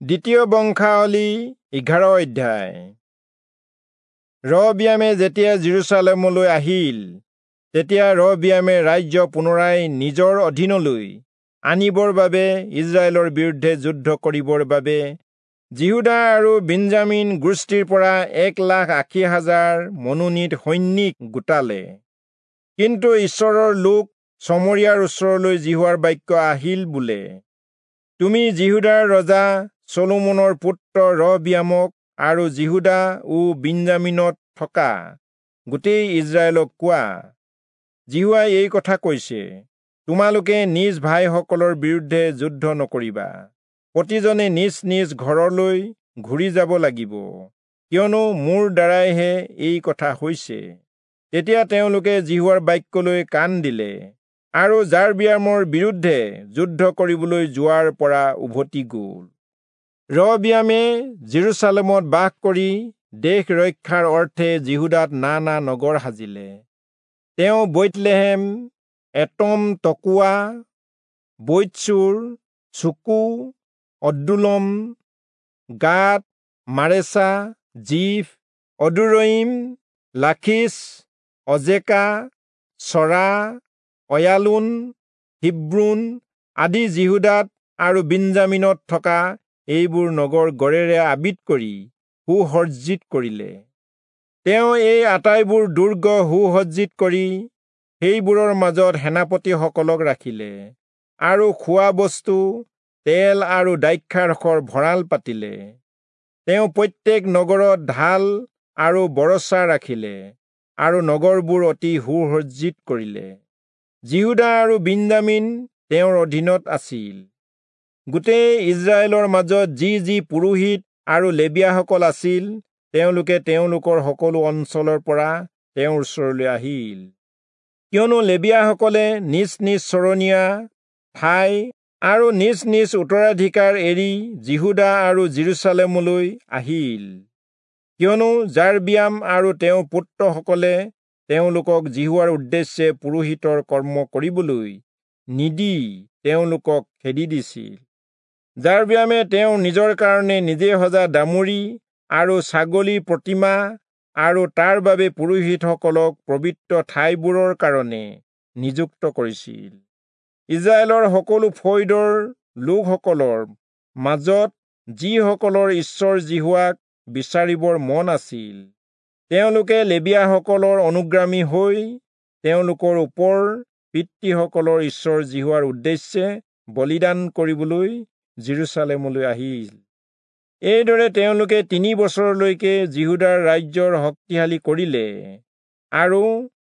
দ্বিতীয় বংশাৱলী 11 অধ্যায়। ৰহবিয়ামে যেতিয়া যিৰূচালেমলৈ আহিল, তেতিয়া ৰহবিয়ামে ৰাজ্য পুনৰাই নিজৰ অধীনলৈ আনিবৰ বাবে ইজৰাইলৰ বিৰুদ্ধে যুদ্ধ কৰিবৰ বাবে যিহূদা আৰু বিন্যামীন গোষ্ঠীৰ পৰা 1,80,000 মনোনীত সৈনিক গোটালে। কিন্তু ঈশ্বৰৰ লোক চমৰিয়াৰ ওচৰলৈ যিহোৱাৰ বাক্য আহিল বোলে, তুমি যিহূদাৰ ৰজা চলোমনৰ পুত্ৰ ৰহবিয়ামক আৰু যিহূদা ও বিন্যামীনত থকা গোটেই ইজৰাইলক কোৱা, যিহোৱাই এই কথা কৈছে, তোমালোকে নিজ ভাইসকলৰ বিৰুদ্ধে যুদ্ধ নকৰিবা, প্ৰতিজনে নিজ নিজ ঘৰলৈ ঘূৰি যাব লাগিব, কিয়নো মোৰ দ্বাৰাইহে এই কথা হৈছে। তেতিয়া তেওঁলোকে যিহোৱাৰ বাক্যলৈ কাণ দিলে আৰু যাৰবিয়ামৰ বিৰুদ্ধে যুদ্ধ কৰিবলৈ যোৱাৰ পৰা উভতি গ'ল। ৰহবিয়ামে যিৰূচালেমত বাস কৰি দেশ ৰক্ষাৰ অৰ্থে যিহূদাত নানা নগৰ সাজিলে। তেওঁ বৈৎলেহেম, এটম তকোৱা, বৈৎচূৰ, চুকু, অদ্দুলম, গাত, মাৰেচা, জিফ, অদুৰয়ীম, লাখীচ, অজেকা, চৰা, অয়ালোন, হিব্ৰোন আদি যিহূদাত আৰু বিন্যামীনত থকা এইবোৰ নগৰ গড়েৰে আবিত কৰি সুসজ্জিত কৰিলে। তেওঁ এই আটাইবোৰ দুৰ্গ সুসজ্জিত কৰি সেইবোৰৰ মাজত সেনাপতিসকলক ৰাখিলে আৰু খোৱা বস্তু, তেল আৰু দ্ৰাক্ষাৰসৰ ভঁৰাল পাতিলে। তেওঁ প্ৰত্যেক নগৰত ঢাল আৰু বৰচা ৰাখিলে আৰু নগৰবোৰ অতি সুসজ্জিত কৰিলে। যিহূদা আৰু বিন্যামীন তেওঁৰ অধীনত আছিল। গোটেই ইজৰাইলৰ মাজত যি যি পুৰোহিত আৰু লেবীয়াসকল আছিল, তেওঁলোকে তেওঁলোকৰ সকলো অঞ্চলৰ পৰা তেওঁৰ ওচৰলৈ আহিল। কিয়নো লেবীয়াসকলে নিজ নিজ চৰণীয়া ঠাই আৰু নিজ নিজ উত্তৰাধিকাৰ এৰি যিহূদা আৰু যিৰূচালেমলৈ আহিল। কিয়নো যাৰবিয়াম আৰু তেওঁৰ পুত্ৰসকলে তেওঁলোকক যিহোৱাৰ উদ্দেশ্যে পুৰোহিতৰ কৰ্ম কৰিবলৈ নিদি তেওঁলোকক খেদি দিছিল। যাৰবিয়ামে তেওঁ নিজৰ কাৰণে নিজে সজা দামুৰি আৰু ছাগলীৰ প্ৰতিমা আৰু তাৰ বাবে পুৰোহিতসকলক পবিত্ৰ ঠাইবোৰৰ কাৰণে নিযুক্ত কৰিছিল। ইজৰাইলৰ সকলো ফৈদৰ লোকসকলৰ মাজত যিসকলৰ ঈশ্বৰ যিহোৱাক বিচাৰিবৰ মন আছিল, তেওঁলোকে লেবীয়াসকলৰ অনুগ্ৰামী হৈ তেওঁলোকৰ ওপৰ পিতৃসকলৰ ঈশ্বৰ যিহোৱাৰ উদ্দেশ্যে বলিদান কৰিবলৈ যিৰূচালেমলৈ আহিল। এইদৰে তেওঁলোকে 3 বছৰলৈকে যিহূদাৰ ৰাজ্যৰ শক্তিশালী কৰিলে আৰু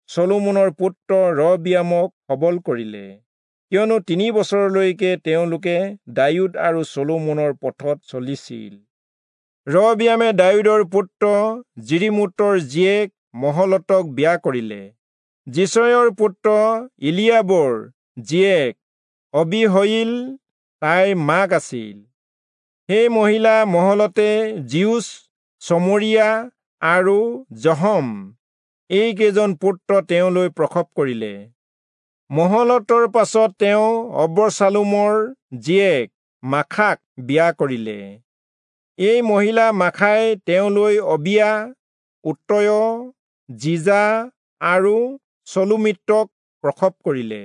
চলোমনৰ পুত্ৰ ৰহবিয়ামক সবল কৰিলে, কিয়নো 3 বছৰলৈকে তেওঁলোকে দায়ূদ আৰু চলোমনৰ পথত চলিছিল। ৰহবিয়ামে দায়ূদৰ পুত্ৰ যিৰিমোতৰ জীয়েক মহলতক বিয়া কৰিলে। যিচয়ৰ পুত্ৰ ইলিয়াবৰ জীয়েক অবিহয়িল তাইৰ মাক আছিল। সেই মহিলা মহলতে জিউচ, চমৰিয়া আৰু জহম এইকেইজন পুত্ৰ তেওঁলৈ প্ৰসৱ কৰিলে। মহলতৰ পাছত তেওঁ অবচালোমৰ জীয়েক মাখাক বিয়া কৰিলে। এই মহিলা মাখাই তেওঁলৈ অবিয়া, উত্তয়, জিজা আৰু চলোমিত্ৰক প্ৰসৱ কৰিলে।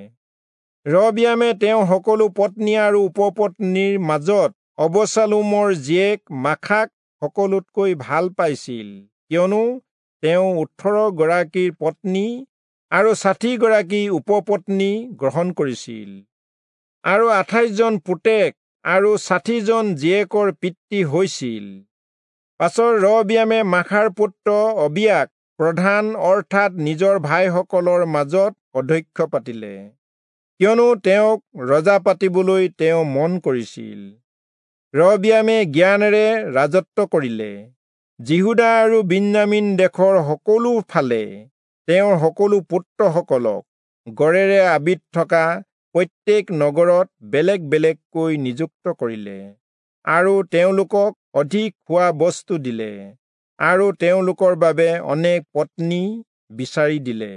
ৰহবিয়ামে তেওঁ সকলো পত্নী আৰু উপপত্নীৰ মাজত অবচালোমৰ জীয়েক মাখাক সকলোতকৈ ভাল পাইছিল, কিয়নো তেওঁ 18 গৰাকীৰ পত্নী আৰু 60 গৰাকী উপপত্নী গ্ৰহণ কৰিছিল আৰু 28 জন পুতেক আৰু 60 জন জীয়েকৰ পিতৃ হৈছিল। পাছত ৰহবিয়ামে মাখাৰ পুত্ৰ অবিয়াক প্ৰধান অৰ্থাৎ নিজৰ ভাইসকলৰ মাজত অধ্যক্ষ পাতিলে, কিয়নো তেওঁক ৰজা পাতিবলৈ তেওঁ মন কৰিছিল। ৰহবিয়ামে জ্ঞানেৰে ৰাজত্ব কৰিলে। যিহূদা আৰু বিন্যামীন দেশৰ সকলো ফালে তেওঁৰ সকলো পুত্ৰসকলক গড়েৰে আবিত থকা প্ৰত্যেক নগৰত বেলেগ বেলেগকৈ নিযুক্ত কৰিলে আৰু তেওঁলোকক অধিক খোৱা বস্তু দিলে আৰু তেওঁলোকৰ বাবে অনেক পত্নী বিচাৰি দিলে।